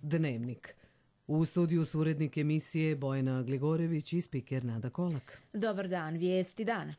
Dnevnik. U studiju su urednik emisije Bojana Gligorević i spiker Nada Kolak. Dobar dan, vijesti dana.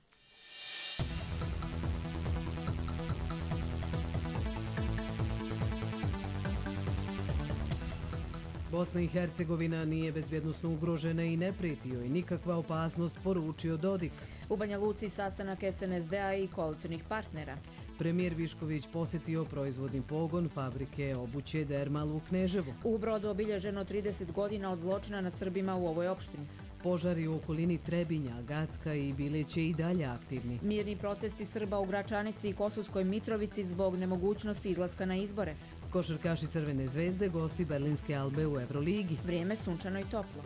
Bosna i Hercegovina nije bezbjednosno ugrožena i ne prijeti joj nikakva opasnost, poručio Dodik. U Banja Luci sastanak SNSD-a i koalicionih partnera. Premijer Višković posjetio proizvodni pogon fabrike obuće Dermal u Kneževu. U Brodu obilježeno 30 godina od zločina nad Srbima u ovoj opštini. Požari u okolini Trebinja, Gacka i Bileće i dalje aktivni. Mirni protesti Srba u Gračanici i Kosovskoj Mitrovici zbog nemogućnosti izlaska na izbore. Košarkaši Crvene zvezde gosti Berlinske Albe u Euroligi. Vrijeme sunčano i toplo.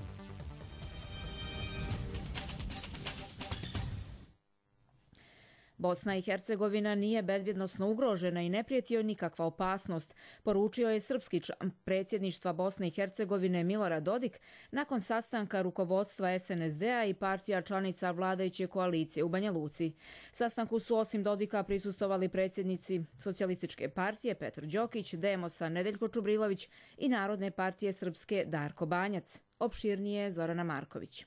Bosna i Hercegovina nije bezbjednosno ugrožena i ne prijeti joj nikakva opasnost, poručio je srpski član predsjedništva Bosne i Hercegovine Milorad Dodik nakon sastanka rukovodstva SNSD-a i partija članica vladajuće koalicije u Banja Luci. Sastanku su osim Dodika prisustvovali predsjednici Socijalističke partije Petar Đokić, Demosa Nedeljko Čubrilović i Narodne partije Srpske Darko Banjac. Opširnije Zorana Marković.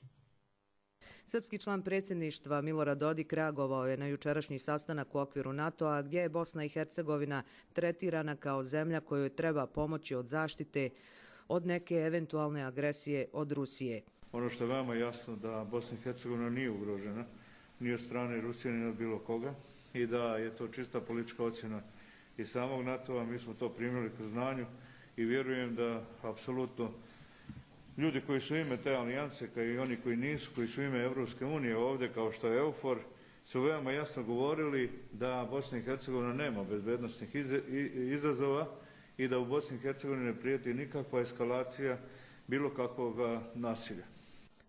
Srpski član predsjedništva Milorad Dodik reagovao je na jučerašnji sastanak u okviru NATO-a gdje je Bosna i Hercegovina tretirana kao zemlja kojoj treba pomoći od zaštite od neke eventualne agresije od Rusije. Ono što je veoma jasno da Bosna i Hercegovina nije ugrožena ni od strane Rusije ni od bilo koga i da je to čista politička ocjena i samog NATO-a. Mi smo to primili kroz znanju i vjerujem da apsolutno ljudi koji su ime te alijanse, kao i oni koji nisu, koji su ime Evropske unije ovdje, kao što je EUFOR, su veoma jasno govorili da Bosna i Hercegovina nema bezbednosnih izazova i da u Bosni i Hercegovini ne prijeti nikakva eskalacija bilo kakvog nasilja.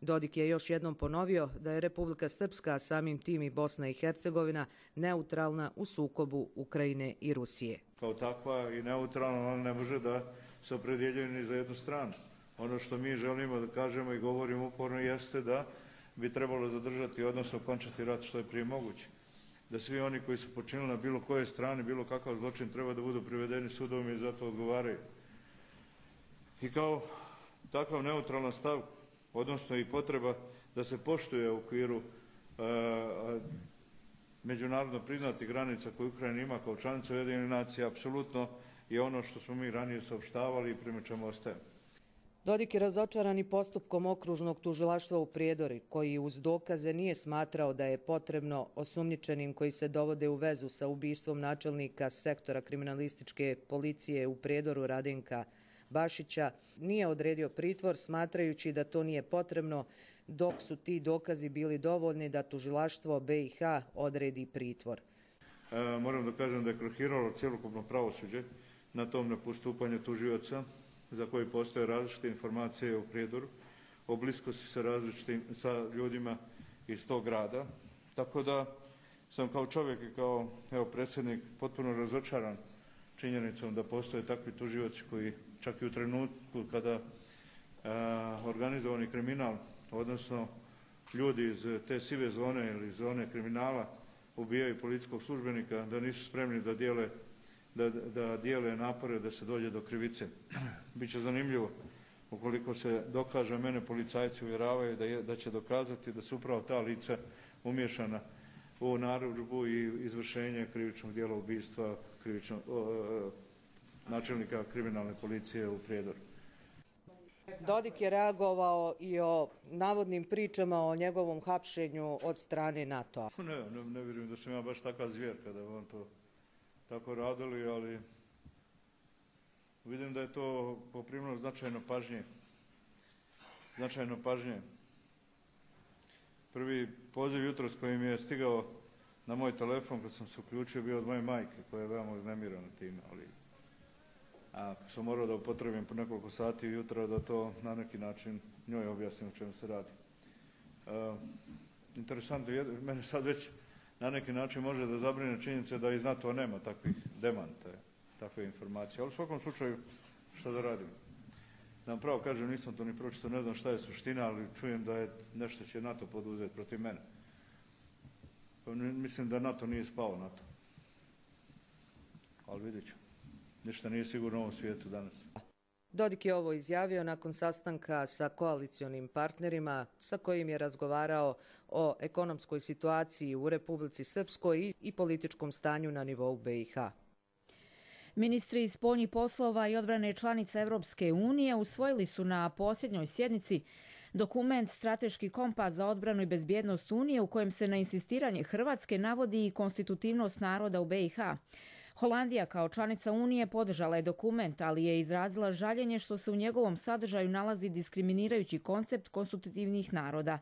Dodik je još jednom ponovio da je Republika Srpska, a samim tim i Bosna i Hercegovina, neutralna u sukobu Ukrajine i Rusije. Kao takva i neutralna, ona ne može da se opredjeljuje ni za jednu stranu. Ono što mi želimo da kažemo i govorimo uporno jeste da bi trebalo zadržati, odnosno okončati rat što je prije moguće. Da svi oni koji su počinili na bilo koje strane, bilo kakav zločin, treba da budu privedeni sudovima i zato odgovaraju. I kao takav neutralan stav, odnosno i potreba da se poštuje u okviru međunarodno priznatih granica koje Ukrajina ima kao članica Ujedinjenih nacija, apsolutno je ono što smo mi ranije saopštavali i prema čemu ostajemo. Dodik je razočaran i postupkom okružnog tužilaštva u Prijedori, koji uz dokaze nije smatrao da je potrebno osumnjičenim koji se dovode u vezu sa ubistvom načelnika sektora kriminalističke policije u Prijedoru Radenka Bašića, nije odredio pritvor smatrajući da to nije potrebno, dok su ti dokazi bili dovoljni da tužilaštvo BiH odredi pritvor. Moram da kažem da je krahiralo cjelokupno pravosuđe na tom nepostupanju tužioca, za koji postoje različite informacije u Prijedoru, o bliskosti sa ljudima iz tog grada. Tako da sam kao čovjek i kao predsjednik potpuno razočaran činjenicom da postoje takvi tužioci koji čak i u trenutku kada organizovani kriminal, odnosno ljudi iz te sive zone ili zone kriminala ubijaju policijskog službenika, da nisu spremni da dijele napore da se dođe do krivice. Biće zanimljivo ukoliko se dokaže, mene policajci uvjeravaju da će dokazati da su upravo ta lica umješana u narudžbu i izvršenje krivičnog dijela ubistva načelnika kriminalne policije u Prijedoru. Dodik je reagovao i o navodnim pričama o njegovom hapšenju od strane NATO-a. Ne vjerujem da sam ja baš takva zvijer kada on to tako radili, ali vidim da je to poprimilo značajno pažnje. Prvi poziv jutros koji mi je stigao na moj telefon kad sam se uključio bio od moje majke koja je veoma uznemirana time, ali sam morao da upotrebim po nekoliko sati jutra da to na neki način njoj objasnim o čemu se radi. Interesantno, mene sad već na neki način može da zabrine činjenica da iz NATO nema takvih demanta, takve informacije. Ali u svakom slučaju, što da radimo? Da vam pravo kažem, nisam to ni pročitao, ne znam šta je suština, ali čujem da je nešto će NATO poduzeti protiv mene. Mislim da NATO nije spao na to. Ali vidjet ću. Ništa nije sigurno u ovom svijetu danas. Dodik je ovo izjavio nakon sastanka sa koalicionim partnerima sa kojim je razgovarao o ekonomskoj situaciji u Republici Srpskoj i političkom stanju na nivou BiH. Ministri spoljnih poslova i odbrane članica Evropske unije usvojili su na posljednjoj sjednici dokument Strateški kompas za odbranu i bezbjednost Unije u kojem se na insistiranje Hrvatske navodi i konstitutivnost naroda u BiH. Holandija kao članica Unije podržala je dokument, ali je izrazila žaljenje što se u njegovom sadržaju nalazi diskriminirajući koncept konstitutivnih naroda.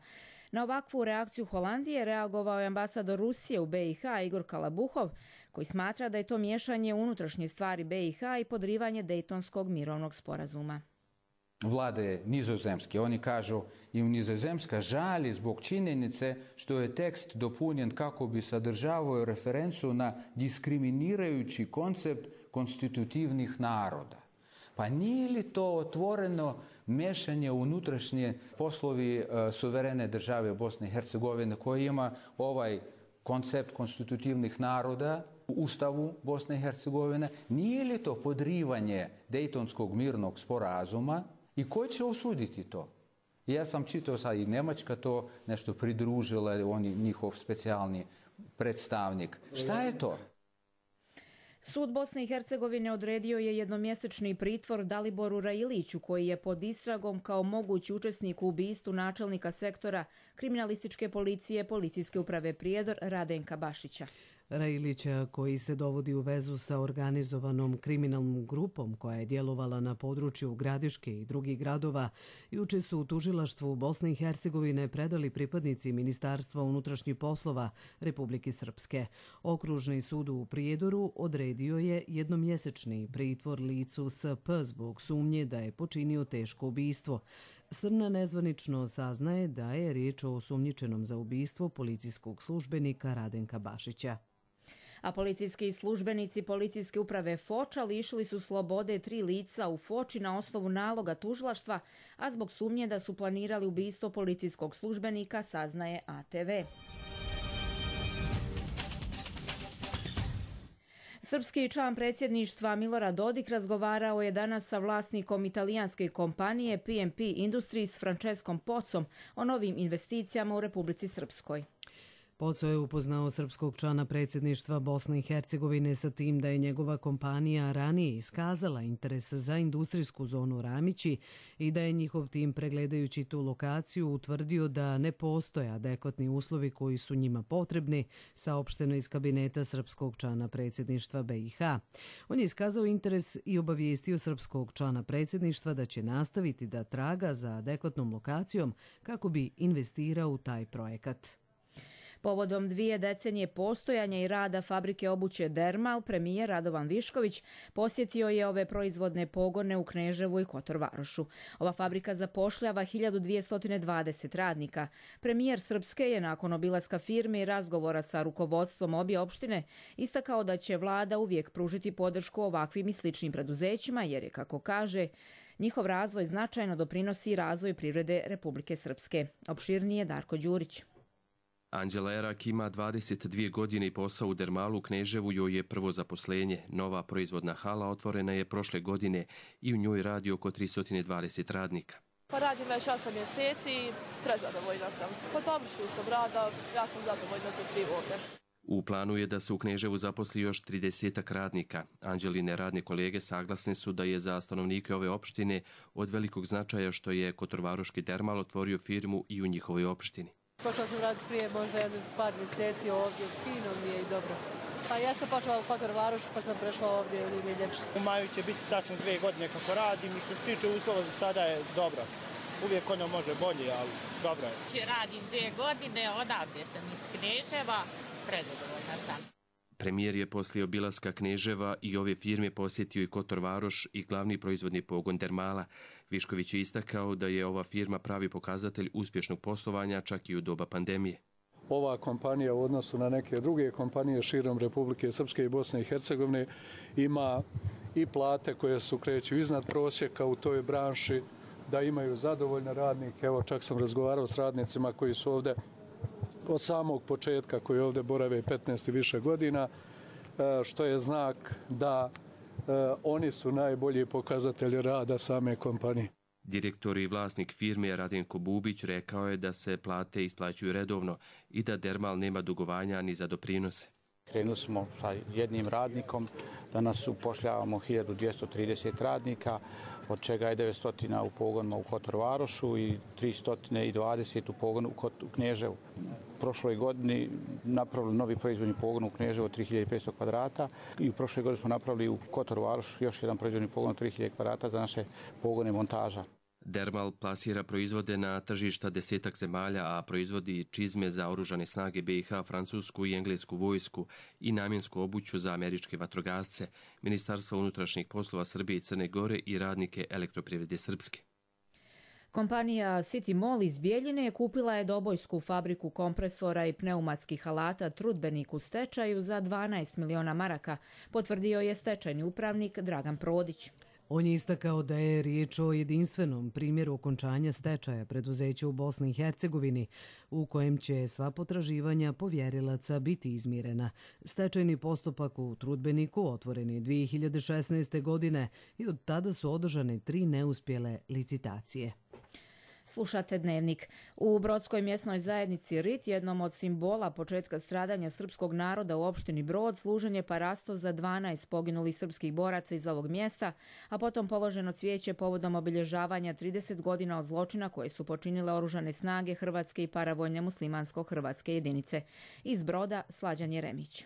Na ovakvu reakciju Holandije reagovao je ambasador Rusije u BiH Igor Kalabuhov, koji smatra da je to miješanje u unutrašnje stvari BiH i podrivanje Dejtonskog mirovnog sporazuma. Vlade Nizozemske, oni kažu i u Nizozemska žali zbog činjenice što je tekst dopunjen kako bi sadržavao referencu na diskriminirajući koncept konstitutivnih naroda. Pa nije li to otvoreno mešanje u unutrašnje poslovi suverene države Bosne i Hercegovine koji ima ovaj koncept konstitutivnih naroda u Ustavu Bosne i Hercegovine? Nije li to podrivanje Dejtonskog mirnog sporazuma i ko će osuditi to? Ja sam čitao sad i Njemačka to nešto pridružila, oni njihov specijalni predstavnik. Šta je to? Sud Bosne i Hercegovine odredio je jednomjesečni pritvor Daliboru Railiću, koji je pod istragom kao mogući učesnik u ubistvu načelnika sektora kriminalističke policije Policijske uprave Prijedor Radenka Bašića. Railića, koji se dovodi u vezu sa organizovanom kriminalnom grupom koja je djelovala na području Gradiške i drugih gradova, juče su u tužilaštvu Bosne i Hercegovine predali pripadnici Ministarstva unutrašnjih poslova Republike Srpske. Okružni sud u Prijedoru odredio je jednomjesečni pritvor licu SP zbog sumnje da je počinio teško ubistvo. Srna nezvanično saznaje da je riječ o osumnjičenom za ubistvo policijskog službenika Radenka Bašića. A policijski službenici Policijske uprave Foča lišili su slobode 3 lica u Foči na osnovu naloga tužilaštva, a zbog sumnje da su planirali ubistvo policijskog službenika, saznaje ATV. Srpski član predsjedništva Milorad Dodik razgovarao je danas sa vlasnikom italijanske kompanije PMP Industries Franceskom Pocom o novim investicijama u Republici Srpskoj. Poco je upoznao srpskog člana predsjedništva Bosne i Hercegovine sa tim da je njegova kompanija ranije iskazala interes za industrijsku zonu Ramići i da je njihov tim, pregledajući tu lokaciju, utvrdio da ne postoje adekvatni uslovi koji su njima potrebni, saopšteno iz kabineta srpskog člana predsjedništva BiH. On je iskazao interes i obavijestio srpskog člana predsjedništva da će nastaviti da traga za adekvatnom lokacijom kako bi investirao u taj projekat. Povodom 2 decenije postojanja i rada fabrike obuće Dermal, premijer Radovan Višković posjetio je ove proizvodne pogone u Kneževu i Kotor Varošu. Ova fabrika zapošljava 1220 radnika. Premijer Srpske je nakon obilaska firme i razgovora sa rukovodstvom obje opštine istakao da će vlada uvijek pružiti podršku ovakvim i sličnim preduzećima jer je, kako kaže, njihov razvoj značajno doprinosi razvoj privrede Republike Srpske. Opširnije Darko Đurić. Anđela Erak ima 22 godine i posao u Dermalu u Kneževu joj je prvo zaposlenje. Nova proizvodna hala otvorena je prošle godine i u njoj radi oko 320 radnika. Radim već 8 mjeseci i prezadovoljna sam. Po tom sustav rada ja sam zadovoljna sa svim ovdje. U planu je da se u Kneževu zaposli još 30 radnika. Anđeline radne kolege saglasne su da je za stanovnike ove opštine od velikog značaja što je Kotorvaroški Dermal otvorio firmu i u njihovoj opštini. Počela sam raditi prije možda par mjeseci ovdje, fino mi je i dobro. Pa ja sam počela u Kotor Varošu pa sam prešla ovdje ili mi je ljepše. U maju će biti tačno 2 godine kako radim i što se tiče uslova za sada je dobro. Uvijek ono može bolje, ali dobro je. Radim 2 godine, odavde sam iz Kneževa, prezadovoljna sam. Premijer je poslije obilaska Kneževa i ove firme posjetio i Kotor Varoš i glavni proizvodni pogon Dermala. Višković je istakao da je ova firma pravi pokazatelj uspješnog poslovanja čak i u doba pandemije. Ova kompanija u odnosu na neke druge kompanije širom Republike Srpske i Bosne i Hercegovine ima i plate koje su kreću iznad prosjeka u toj branši, da imaju zadovoljne radnike. Evo, čak sam razgovarao s radnicima koji su ovdje od samog početka, koji ovdje borave 15 i više godina, što je znak da oni su najbolji pokazatelji rada same kompanije. Direktor i vlasnik firme Radenko Bubić rekao je da se plate isplaćuju redovno i da Dermal nema dugovanja ni za doprinose. Krenuli smo sa jednim radnikom, danas upošljavamo 1230 radnika, od čega je 900 u pogonima u Kotor-Varošu i 320 u pogonu u Kneževu. U prošloj godini napravili novi proizvodni pogon u Kneževu od 3500 kvadrata i u prošloj godini smo napravili u Kotor-Varošu još jedan proizvodni pogon od 3000 kvadrata za naše pogone montaža. Dermal plasira proizvode na tržišta 10 zemalja, a proizvodi čizme za oružane snage BiH, francusku i englesku vojsku i namjensku obuću za američke vatrogasce, Ministarstva unutrašnjih poslova Srbije i Crne Gore i radnike Elektroprivrede Srpske. Kompanija City Mall iz Bijeljine kupila je dobojsku fabriku kompresora i pneumatskih alata Trudbenik u stečaju za 12 miliona maraka, potvrdio je stečajni upravnik Dragan Prodić. On je istakao da je riječ o jedinstvenom primjeru okončanja stečaja preduzeća u Bosni i Hercegovini, u kojem će sva potraživanja povjerilaca biti izmirena. Stečajni postupak u Trudbeniku otvoren je 2016. godine i od tada su održane 3 neuspjele licitacije. Slušate Dnevnik. U Brodskoj mjesnoj zajednici Rit, jednom od simbola početka stradanja srpskog naroda u opštini Brod, služen je parasto za 12 poginulih srpskih boraca iz ovog mjesta, a potom položeno cvijeće povodom obilježavanja 30 godina od zločina koje su počinile oružane snage Hrvatske i paravojne muslimansko-hrvatske jedinice. Iz Broda Slađan Jeremić.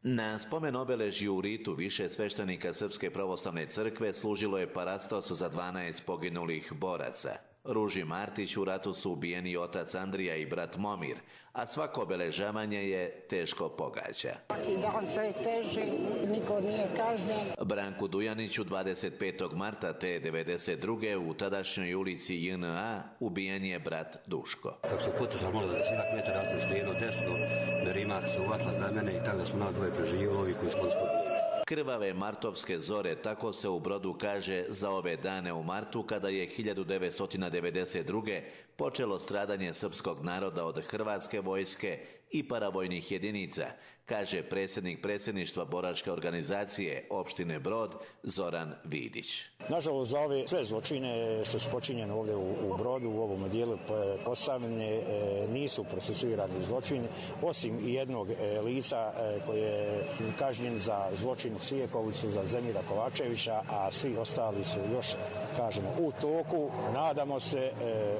Na spomen obeležju u Ritu više sveštenika Srpske pravoslavne crkve služilo je parastos za 12 poginulih boraca. Ruži Martić u ratu su ubijeni otac Andrija i brat Momir, a svako obeležavanje je teško pogađa. Svaki dan sve teži, niko nije kažnjen. Branku Dujaniću 25. marta te 92. u tadašnjoj ulici JNA ubijen je brat Duško. Kako su potužali malo da 10 metara, ja sam skrenuo desno, Merimak se uvatila za mene i tako da smo nas dvoje preživjeli, ovi koji smo spobijeni. Krvave martovske zore, tako se u Brodu kaže za ove dane u martu, kada je 1992. počelo stradanje srpskog naroda od hrvatske vojske i paravojnih jedinica, kaže predsjednik predsjedništva boračke organizacije opštine Brod Zoran Vidić. Nažalost, za ove sve zločine što su počinjene ovdje u Brodu, u ovom dijelu Posavine, nisu procesuirani zločini, osim jednog lica koji je kažnjen za zločin u Sijekovcu, za Zemira Kovačevića, a svi ostali su još, kažemo, u toku. Nadamo se,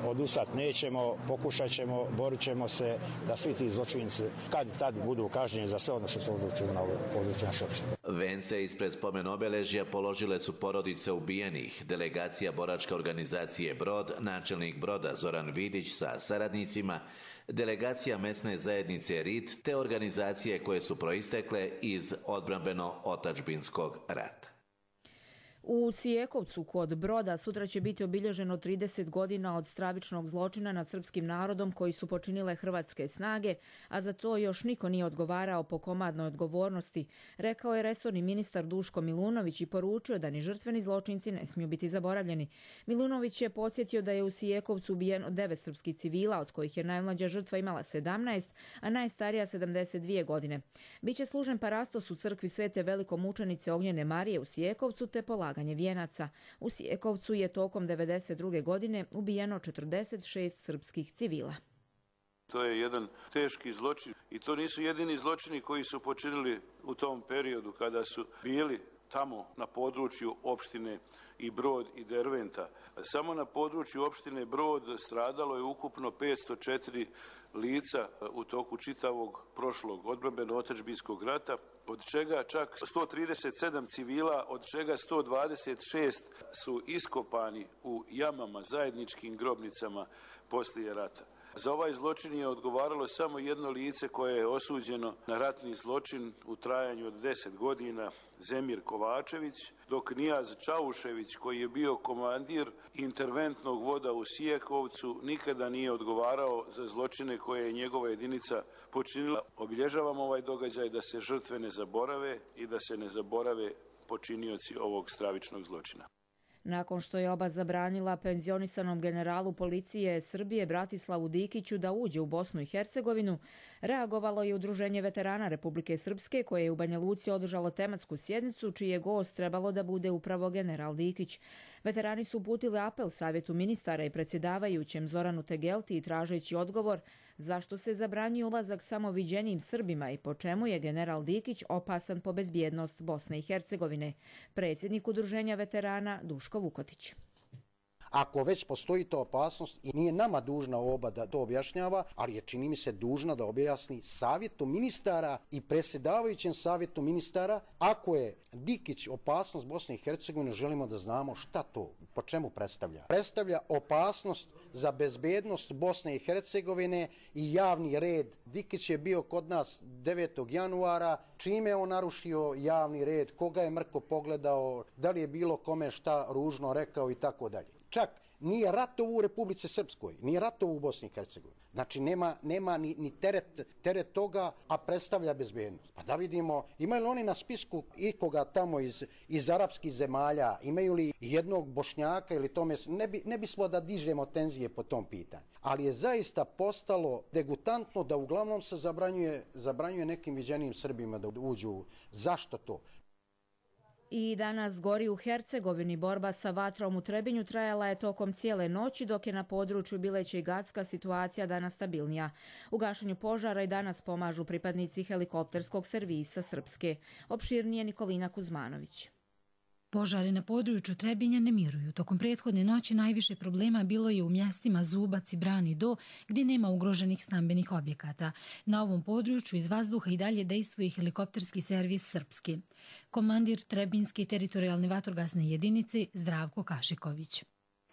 odustat nećemo, pokušat ćemo, borit ćemo se da svi ti zločinci kad tad budu kažnjeni za sve ono što su odlučili na području naše opštine. Vence ispred spomen obeležja položile su porodice ubijenih, delegacija boračke organizacije Brod, načelnik Broda Zoran Vidić sa saradnicima, delegacija mesne zajednice Rit te organizacije koje su proistekle iz odbrambeno-otačbinskog rata. U Sijekovcu kod Broda sutra će biti obilježeno 30 godina od stravičnog zločina nad srpskim narodom koji su počinile hrvatske snage, a za to još niko nije odgovarao po komadnoj odgovornosti, rekao je resorni ministar Duško Milunović i poručio da ni žrtveni zločinci ne smiju biti zaboravljeni. Milunović je podsjetio da je u Sijekovcu ubijeno 9 srpskih civila, od kojih je najmlađa žrtva imala 17, a najstarija 72 godine. Biće služen parastos u crkvi Svete velikomučenice Ognjene Marije u Sijekovcu te polaganje vijenaca. U Sijekovcu je tokom 92. godine ubijeno 46 srpskih civila. To je jedan teški zločin i to nisu jedini zločini koji su počinili u tom periodu kada su bili tamo na području opštine i Brod i Derventa. Samo na području opštine Brod stradalo je ukupno 504 lica u toku čitavog prošlog odbrambeno-otačbinskog rata, od čega čak 137 civila, od čega 126 su iskopani u jamama, zajedničkim grobnicama poslije rata. Za ovaj zločin je odgovaralo samo jedno lice koje je osuđeno na ratni zločin u trajanju od 10 godina, Zemir Kovačević, dok Nijaz Čaušević, koji je bio komandir interventnog voda u Sijekovcu, nikada nije odgovarao za zločine koje je njegova jedinica počinila. Obilježavamo ovaj događaj da se žrtve ne zaborave i da se ne zaborave počinioci ovog stravičnog zločina. Nakon što je oba zabranila penzionisanom generalu policije Srbije Bratislavu Dikiću da uđe u Bosnu i Hercegovinu, reagovalo je Udruženje veterana Republike Srpske koje je u Banja Luci održalo tematsku sjednicu čiji je gost trebalo da bude upravo general Dikić. Veterani su uputili apel Savjetu ministara i predsjedavajućem Zoranu Tegelti tražeći odgovor zašto se zabranjuje ulazak samo viđenijim Srbima i po čemu je general Dikić opasan po bezbjednost Bosne i Hercegovine. Predsjednik Udruženja veterana Duško Vukotić. Ako već postoji ta opasnost i nije nama dužna oba da to objašnjava, ali je čini mi se dužna da objasni Savjetu ministara i predsjedavajućem Savjetu ministara, ako je Dikić opasnost Bosne i Hercegovine, želimo da znamo šta to, po čemu predstavlja. Predstavlja opasnost za bezbednost Bosne i Hercegovine i javni red. Dikić je bio kod nas 9. januara, čime je on narušio javni red, koga je mrko pogledao, da li je bilo kome šta ružno rekao i tako dalje. Čak nije ratovo u Republici Srpskoj, nije ratovo u Bosni i Hercegovini. Znači nema ni teret toga, a predstavlja bezbednost. Pa da vidimo, imaju li oni na spisku ikoga tamo iz arapskih zemalja, imaju li jednog Bošnjaka ili tome, ne bismo da tenzije po tom pitanju. Ali je zaista postalo degutantno da uglavnom se zabranjuje nekim viđenijim Srbima da uđu. Zašto to? I danas gori u Hercegovini. Borba sa vatrom u Trebinju trajala je tokom cijele noći, dok je na području Bileća i Gacka situacija danas stabilnija. U gašenju požara i danas pomažu pripadnici helikopterskog servisa Srpske. Opširnije Nikolina Kuzmanović. Požari na području Trebinja ne miruju. Tokom prethodne noći najviše problema bilo je u mjestima Zubac i Brani Do, gdje nema ugroženih stambenih objekata. Na ovom području iz vazduha i dalje dejstvuje helikopterski servis Srpske. Komandir Trebinske teritorijalne vatrogasne jedinice Zdravko Kašiković.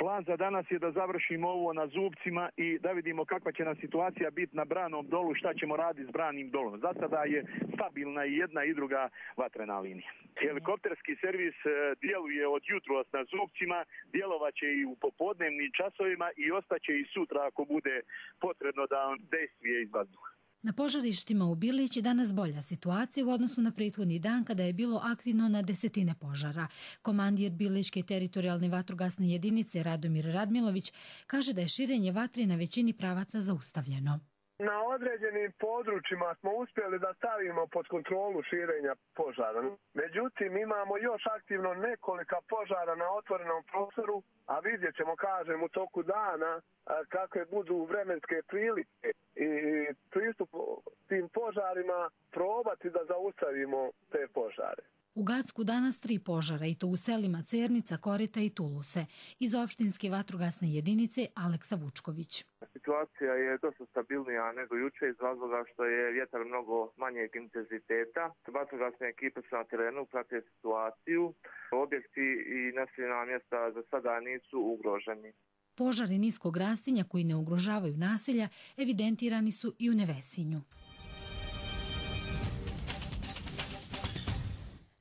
Plan za danas je da završimo ovo na Zubcima i da vidimo kakva će nam situacija biti na Branom dolu, šta ćemo raditi s Branim dolom. Za sada je stabilna i jedna i druga vatrena linija. Helikopterski servis djeluje od jutros na Zubcima, djelovaće i u popodnevnim časovima i ostaće i sutra ako bude potrebno da on dejstvuje iz vazduha. Na požarištima u Bilić je danas bolja situacija u odnosu na prethodni dan kada je bilo aktivno na desetine požara. Komandir Bilićke teritorijalne vatrogasne jedinice Radomir Radmilović kaže da je širenje vatre na većini pravaca zaustavljeno. Na određenim područjima smo uspjeli da stavimo pod kontrolu širenja požara. Međutim, imamo još aktivno nekolika požara na otvorenom prostoru, a vidjet ćemo, kažem, u toku dana kakve budu vremenske prilike i pristup tim požarima probati da zaustavimo te požare. U Gacku danas 3 požara i to u selima Cernica, Korita i Tuluse. Iz opštinske vatrogasne jedinice Aleksa Vučković. Situacija je dosta stabilnija nego juče iz razloga što je vjetar mnogo manjeg intenziteta. Vatrogasne ekipe su na terenu, prate situaciju. Objekti i naseljena mjesta za sada nisu ugroženi. Požari niskog rastinja koji ne ugrožavaju naselja evidentirani su i u Nevesinju.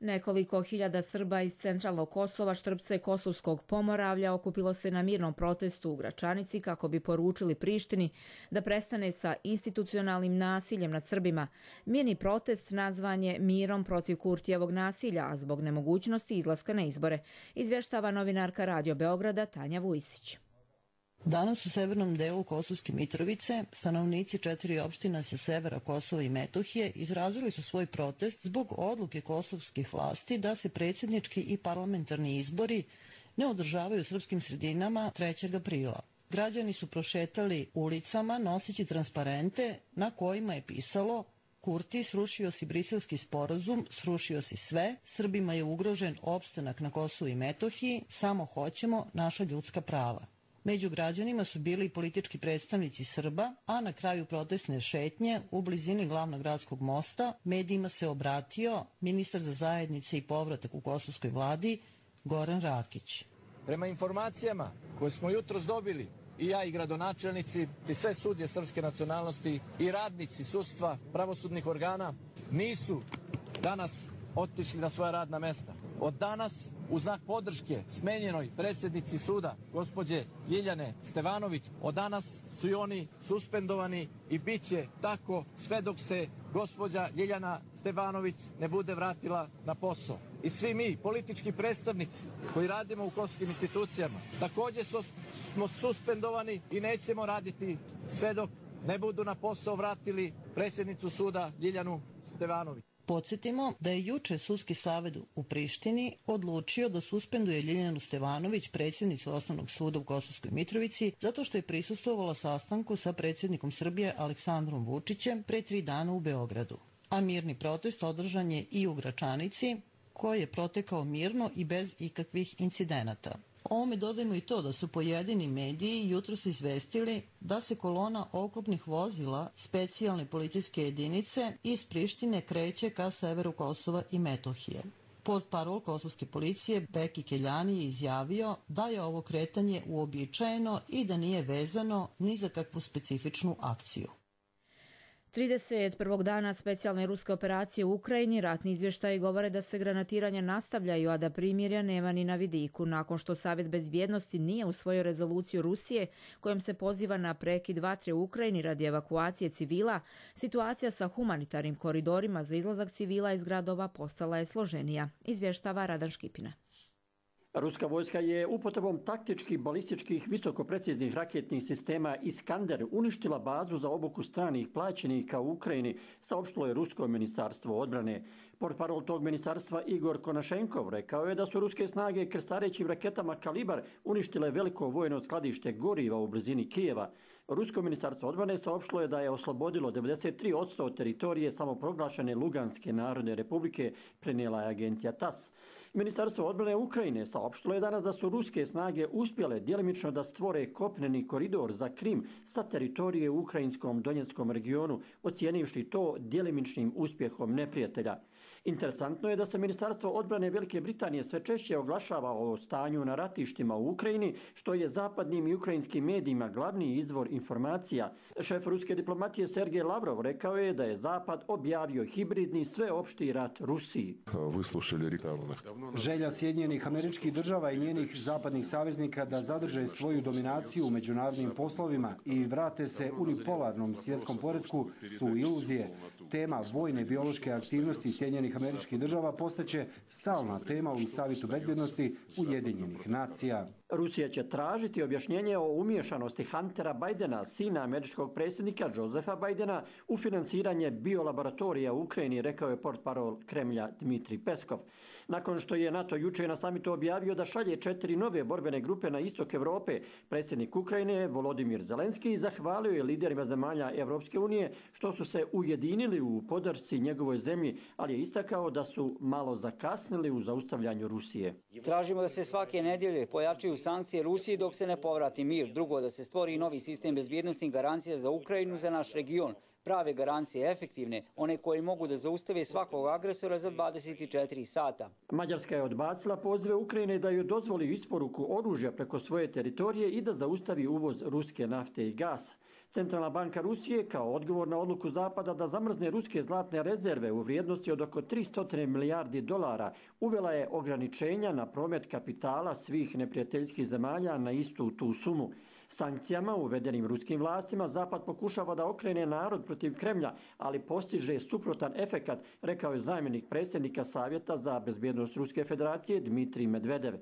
Nekoliko hiljada Srba iz centralnog Kosova, Štrpca i Kosovskog Pomoravlja okupilo se na mirnom protestu u Gračanici kako bi poručili Prištini da prestane sa institucionalnim nasiljem nad Srbima. Mirni protest nazvan je mirom protiv Kurtijevog nasilja, a zbog nemogućnosti izlaska na izbore, izvještava novinarka Radio Beograda Tanja Vujsić. Danas u severnom delu Kosovske Mitrovice stanovnici 4 opština sa severa Kosova i Metohije izrazili su svoj protest zbog odluke kosovskih vlasti da se predsjednički i parlamentarni izbori ne održavaju u srpskim sredinama 3. aprila. Građani su prošetali ulicama noseći transparente na kojima je pisalo: Kurti, srušio si Briselski sporazum, srušio si sve, Srbima je ugrožen opstanak na Kosovu i Metohiji, samo hoćemo naša ljudska prava. Među građanima su bili i politički predstavnici Srba, a na kraju protestne šetnje u blizini glavnog gradskog mosta medijima se obratio ministar za zajednice i povratak u kosovskoj vladi Goran Rakić. Prema informacijama koje smo jutros dobili, i ja i gradonačelnici, i sve sudije srpske nacionalnosti i radnici sudstva, pravosudnih organa, nisu danas otišli na svoja radna mesta. Od danas u znak podrške smenjenoj predsjednici suda, gospođe Ljiljane Stevanović. Od danas su i oni suspendovani i bit će tako sve dok se gospođa Ljiljana Stevanović ne bude vratila na posao. I svi mi, politički predstavnici koji radimo u kosovskim institucijama, također smo suspendovani i nećemo raditi sve dok ne budu na posao vratili predsjednicu suda Ljiljanu Stevanović. Podsjetimo da je juče Sudski savjet u Prištini odlučio da suspenduje Ljiljanu Stevanović, predsjednicu Osnovnog suda u Kosovskoj Mitrovici, zato što je prisustvovala sastanku sa predsjednikom Srbije Aleksandrom Vučićem pre 3 dana u Beogradu. A mirni protest održan je i u Gračanici, koji je protekao mirno i bez ikakvih incidenata. Ovome dodajmo i to da su pojedini mediji jutros izvestili da se kolona oklopnih vozila specijalne policijske jedinice iz Prištine kreće ka severu Kosova i Metohije. Portparol kosovske policije Beki Keljani je izjavio da je ovo kretanje uobičajeno i da nije vezano ni za kakvu specifičnu akciju. 31. dana specijalne ruske operacije u Ukrajini ratni izvještaji govore da se granatiranja nastavljaju, a da primirja nema ni na vidiku. Nakon što Savjet bezbjednosti nije usvojio rezoluciju Rusije kojom se poziva na prekid vatre u Ukrajini radi evakuacije civila, situacija sa humanitarnim koridorima za izlazak civila iz gradova postala je složenija, izvještava Radan Škipina. Ruska vojska je upotrebom taktičkih balističkih visokopreciznih raketnih sistema Iskander uništila bazu za obuku stranih plaćenika u Ukrajini, saopštilo je Rusko ministarstvo odbrane. Portparol tog ministarstva Igor Konašenkov rekao je da su ruske snage krstarećim raketama Kalibar uništile veliko vojno skladište goriva u blizini Kijeva. Rusko ministarstvo odbrane saopštilo je da je oslobodilo 93% teritorije samoproglašene Luganske narodne republike, prenijela je agencija TASS. Ministarstvo odbrane Ukrajine saopštilo je danas da su ruske snage uspjele djelimično da stvore kopneni koridor za Krim sa teritorije u ukrajinskom Donjeckom regionu, ocijenivši to djelimičnim uspjehom neprijatelja. Interesantno je da se Ministarstvo odbrane Velike Britanije sve češće oglašava o stanju na ratištima u Ukrajini, što je zapadnim i ukrajinskim medijima glavni izvor informacija. Šef ruske diplomatije Sergej Lavrov rekao je da je Zapad objavio hibridni sveopšti rat Rusiji. Želja Sjedinjenih Američkih Država i njenih zapadnih saveznika da zadrže svoju dominaciju u međunarodnim poslovima i vrate se unipolarnom svjetskom poretku su iluzije. Tema vojne biološke aktivnosti Sjedinjenih Američkih Država postaće stalna tema u Savjetu bezbjednosti Ujedinjenih nacija. Rusija će tražiti objašnjenje o umiješanosti Huntera Bidena, sina američkog predsjednika Josefa Bidena, u finansiranje biolaboratorija u Ukrajini, rekao je portparol Kremlja Dmitrij Peskov. Nakon što je NATO juče na samitu objavio da šalje 4 nove borbene grupe na istok Evrope, predsjednik Ukrajine Volodimir Zelenski zahvalio je liderima zemalja Evropske unije što su se ujedinili u podršci njegovoj zemlji, ali je istakao da su malo zakasnili u zaustavljanju Rusije. Tražimo da se svake nedjelje pojačaju sankcije Rusiji dok se ne povrati mir. Drugo, da se stvori novi sistem bezbjednostnih garancija za Ukrajinu, za naš region. Prave garancije, efektivne, one koje mogu da zaustave svakog agresora za 24 sata. Mađarska je odbacila pozive Ukrajine da joj dozvoli isporuku oružja preko svoje teritorije i da zaustavi uvoz ruske nafte i gasa. Centralna banka Rusije, kao odgovor na odluku Zapada da zamrzne ruske zlatne rezerve u vrijednosti od oko 300 milijardi dolara, uvela je ograničenja na promet kapitala svih neprijateljskih zemalja na istu tu sumu. Sankcijama uvedenim ruskim vlastima Zapad pokušava da okrene narod protiv Kremlja, ali postiže suprotan efekat, rekao je zamjenik predsjednika Savjeta za bezbjednost Ruske federacije Dmitrij Medvedev.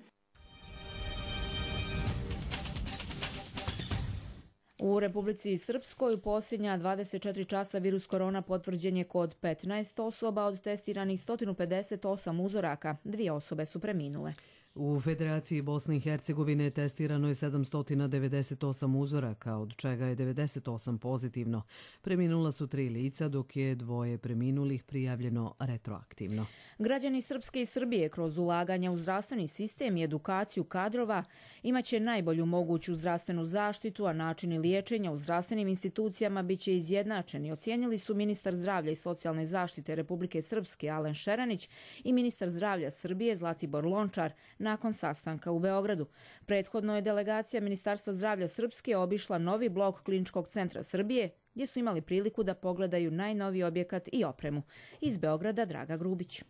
U Republici Srpskoj u posljednja 24 časa virus korona potvrđen je kod 15 osoba od testiranih 158 uzoraka. 2 osobe su preminule. U Federaciji Bosne i Hercegovine testirano je 798 uzoraka, od čega je 98 pozitivno. Preminula su 3 lica, dok je 2 preminulih prijavljeno retroaktivno. Građani Srpske i Srbije kroz ulaganja u zdravstveni sistem i edukaciju kadrova imaće najbolju moguću zdravstvenu zaštitu, a načini liječenja u zdravstvenim institucijama biće izjednačeni, ocijenili su ministar zdravlja i socijalne zaštite Republike Srpske Alen Šeranić i ministar zdravlja Srbije Zlatibor Lončar nakon sastanka u Beogradu. Prethodno je delegacija Ministarstva zdravlja Srpske obišla novi blok Kliničkog centra Srbije, gdje su imali priliku da pogledaju najnoviji objekat i opremu. Iz Beograda Draga Grubić.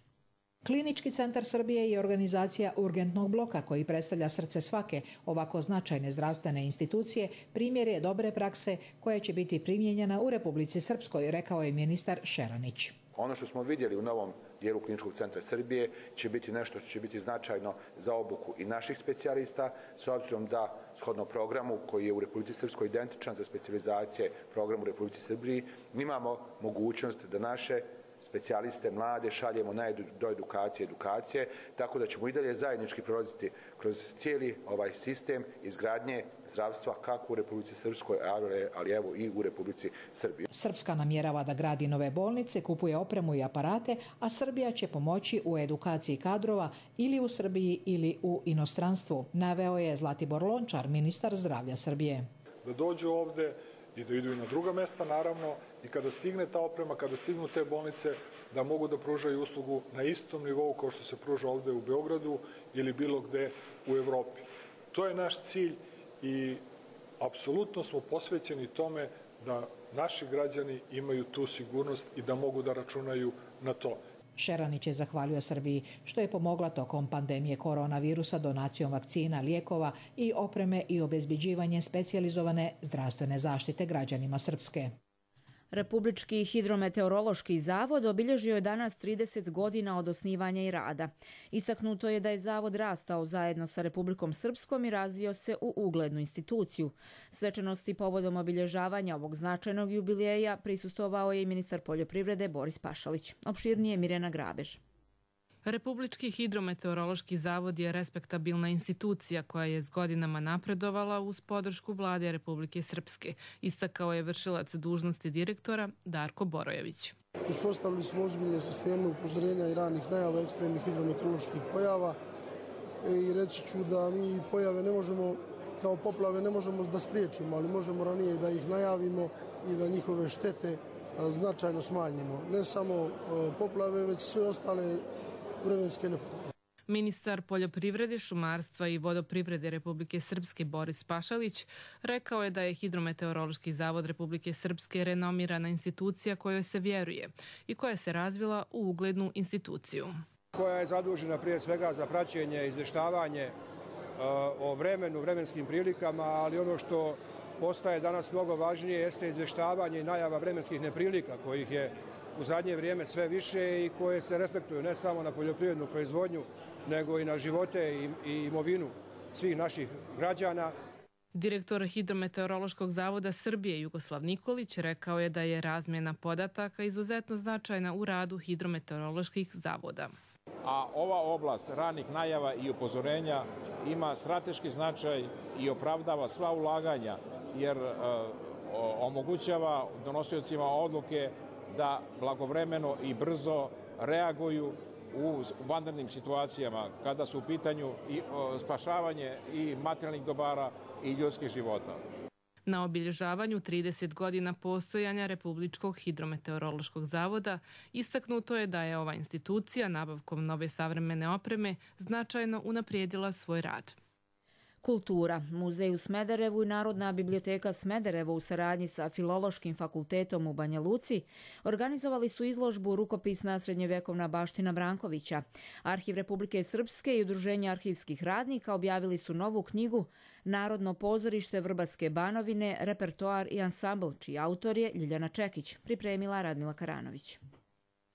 Klinički centar Srbije je organizacija urgentnog bloka koji predstavlja srce svake ovako značajne zdravstvene institucije, primjer je dobre prakse koja će biti primijenjena u Republici Srpskoj, rekao je ministar Šeranić. Ono što smo vidjeli u novom dijelu Kliničkog centra Srbije će biti nešto što će biti značajno za obuku i naših specijalista, s obzirom da shodno programu koji je u Republici Srpskoj identičan za specijalizacije programu u Republici Srbiji, mi imamo mogućnost da naše specijaliste mlade šaljemo do edukacije, tako da ćemo i dalje zajednički prolaziti kroz cijeli ovaj sistem izgradnje zdravstva kako u Republici Srpskoj, ali evo i u Republici Srbiji. Srpska namjerava da gradi nove bolnice, kupuje opremu i aparate, a Srbija će pomoći u edukaciji kadrova ili u Srbiji ili u inostranstvu, naveo je Zlatibor Lončar, ministar zdravlja Srbije. Da dođu ovde i da idu i na druga mesta, naravno, i kada stigne ta oprema, kada stignu te bolnice, da mogu da pružaju uslugu na istom nivou kao što se pruža ovde u Beogradu ili bilo gde u Evropi. To je naš cilj i apsolutno smo posvećeni tome da naši građani imaju tu sigurnost i da mogu da računaju na to. Šeranić je zahvalio Srbiji što je pomogla tokom pandemije koronavirusa donacijom vakcina, lijekova i opreme i obezbeđivanje specijalizovane zdravstvene zaštite građanima Srpske. Republički hidrometeorološki zavod obilježio je danas 30 godina od osnivanja i rada. Istaknuto je da je zavod rastao zajedno sa Republikom Srpskom i razvio se u uglednu instituciju. Svečanosti povodom obilježavanja ovog značajnog jubileja prisustvovao je i ministar poljoprivrede Boris Pašalić. Opširnije Mirjana Grabež. Republički hidrometeorološki zavod je respektabilna institucija koja je s godinama napredovala uz podršku vlade Republike Srpske, istakao je vršilac dužnosti direktora Darko Borojević. Uspostavili smo ozbiljne sisteme upozorenja i ranih najava ekstremnih hidrometeoroloških pojava i reći ću da mi pojave ne možemo, kao poplave ne možemo da spriječimo, ali možemo ranije da ih najavimo i da njihove štete značajno smanjimo. Ne samo poplave, već sve ostale vremenske nepogode. Ministar poljoprivrede, šumarstva i vodoprivrede Republike Srpske Boris Pašalić rekao je da je Hidrometeorološki zavod Republike Srpske renomirana institucija kojoj se vjeruje i koja se razvila u uglednu instituciju. Koja je zadužena prije svega za praćenje i izvještavanje o vremenu, vremenskim prilikama, ali ono što postaje danas mnogo važnije jeste izvještavanje i najava vremenskih neprilika kojih je u zadnje vrijeme sve više i koje se reflektuju ne samo na poljoprivrednu proizvodnju, nego i na živote i imovinu svih naših građana. Direktor Hidrometeorološkog zavoda Srbije Jugoslav Nikolić rekao je da je razmjena podataka izuzetno značajna u radu hidrometeoroloških zavoda. A ova oblast ranih najava i upozorenja ima strateški značaj i opravdava sva ulaganja, jer omogućava donosiocima odluke da blagovremeno i brzo reaguju u vanrednim situacijama kada su u pitanju i spašavanje i materijalnih dobara i ljudskih života. Na obilježavanju 30 godina postojanja Republičkog hidrometeorološkog zavoda istaknuto je da je ova institucija nabavkom nove savremene opreme značajno unaprijedila svoj rad. Kultura. Muzej u Smederevu i Narodna biblioteka Smederevo u saradnji sa Filološkim fakultetom u Banja Luci organizovali su izložbu Rukopisna srednjovjekovna baština Brankovića. Arhiv Republike Srpske i Udruženje arhivskih radnika objavili su novu knjigu Narodno pozorište Vrbaske Banovine, repertoar i ansambl, čiji autor je Ljiljana Čekić, pripremila Radmila Karanović.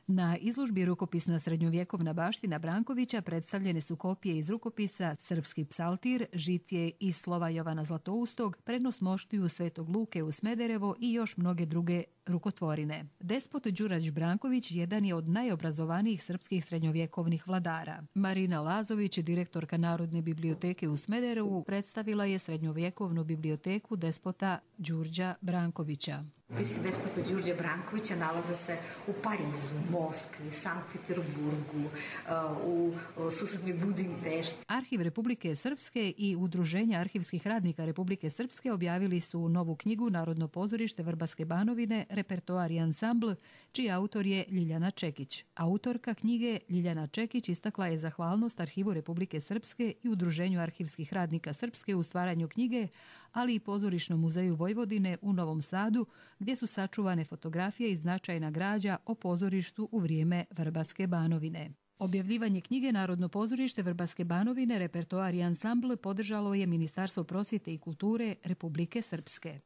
Na izložbi Rukopisna srednjovjekovna baština Brankovića predstavljene su kopije iz rukopisa Srpski psaltir, Žitije i slova Jovana Zlatoustog, Prenos moštiju Svetog Luke u Smederevo i još mnoge druge rukotvorine. Despot Đurađ Branković jedan je od najobrazovanijih srpskih srednjovjekovnih vladara. Marina Lazović, direktorka Narodne biblioteke u Smederevu, predstavila je srednjovjekovnu biblioteku despota Đurđa Brankovića. Opisi despota Đurđa Brankovića nalaze se u Parizu, Moskvi, Sankt Peterburgu, u susednoj Budimpešti. Arhiv Republike Srpske i Udruženja arhivskih radnika Republike Srpske objavili su novu knjigu Narodno pozorište Vrbaske Banovine, repertoar i ansambl, čiji autor je Ljiljana Čekić. Autorka knjige Ljiljana Čekić istakla je zahvalnost Arhivu Republike Srpske i Udruženju arhivskih radnika Srpske u stvaranju knjige, ali i Pozorišnom muzeju Vojvodine u Novom Sadu, gdje su sačuvane fotografije i značajna građa o pozorištu u vrijeme Vrbaske Banovine. Objavljivanje knjige Narodno pozorište Vrbaske Banovine, repertoar i ansambl podržalo je Ministarstvo prosvjete i kulture Republike Srpske.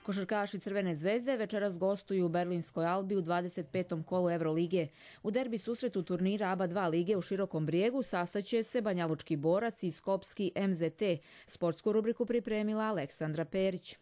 Košarkaši Crvene zvezde večeras gostuju u Berlinskoj Albi u 25. kolu Evrolige. U derbi susretu turnira ABA 2 lige u Širokom Brijegu sastaće se Banjalučki Borac i Skopski MZT. Sportsku rubriku pripremila Aleksandra Perić.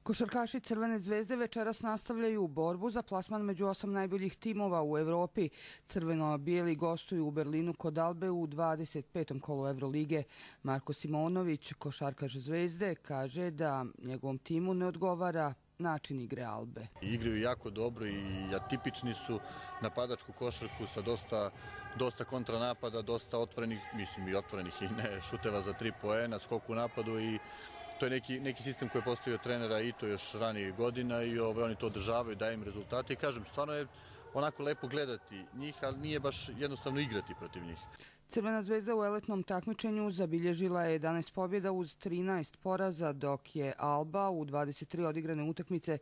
Košarkaši Crvene zvezde večeras nastavljaju borbu za plasman među 8 najboljih timova u Evropi. Crveno-bijeli gostuju u Berlinu kod Albe u 25. kolu Evrolige. Marko Simonović, košarkaš Zvezde, kaže da njegovom timu ne odgovara način igre Albe. Igraju jako dobro i atipični su, napadačku košarku sa dosta kontranapada, dosta otvorenih, mislim i otvorenih i ne šuteva za 3 poena, skok u napadu i to je neki sistem koji je postavio trenera i to još ranijih godina i oni to održavaju, daju im rezultate i kažem, stvarno je onako lepo gledati njih, ali nije baš jednostavno igrati protiv njih. Crvena zvezda u eletnom takmičenju zabilježila je 11 pobjeda uz 13 poraza, dok je Alba u 23 odigrane utakmice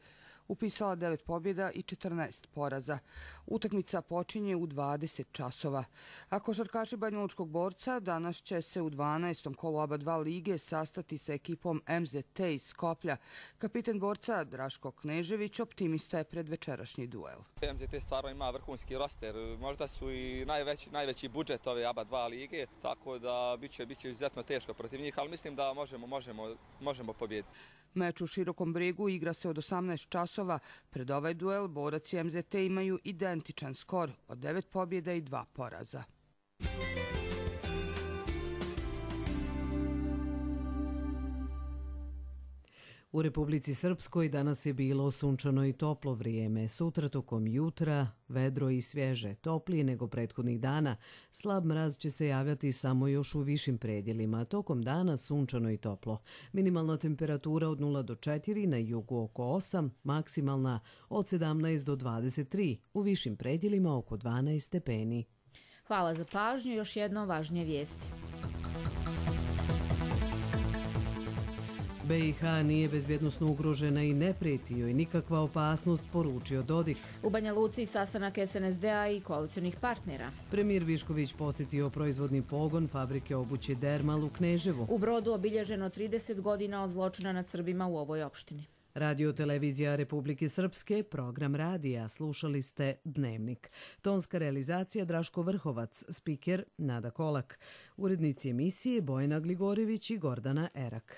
upisala 9 pobjeda i 14 poraza. Utakmica počinje u 20 časova. A košarkaši Banjalučkog Borca danas će se u 12. kolu ABA 2 lige sastati sa ekipom MZT iz Skoplja. Kapiten Borca Draško Knežević optimista je pred večerašnji duel. MZT stvarno ima vrhunski roster, možda su i najveći budžet ove ABA 2 lige, tako da biće izuzetno teško protiv njih, ali mislim da možemo pobijediti. Meč u Širokom Brijegu igra se od 18 časova. Pred ovaj duel Borac i MZT imaju identičan skor od 9 pobjeda i 2 poraza. U Republici Srpskoj danas je bilo sunčano i toplo vrijeme. Sutra tokom jutra vedro i svježe, toplije nego prethodnih dana. Slab mraz će se javljati samo još u višim predjelima. Tokom dana sunčano i toplo. Minimalna temperatura od 0 do 4, na jugu oko 8, maksimalna od 17 do 23, u višim predjelima oko 12 stepeni. Hvala za pažnju, još jedno važnije vijesti. BiH nije bezbjednosno ugrožena i ne prijeti joj nikakva opasnost, poručio Dodik. U Banja Luci sastanak SNSD-a i koalicionih partnera. Premijer Višković posjetio proizvodni pogon fabrike obuće Dermal u Kneževu. U Brodu obilježeno 30 godina od zločina nad Srbima u ovoj opštini. Radio televizija Republike Srpske, program radija, slušali ste Dnevnik. Tonska realizacija Draško Vrhovac, spiker Nada Kolak. Urednici emisije Bojana Gligorević i Gordana Erak.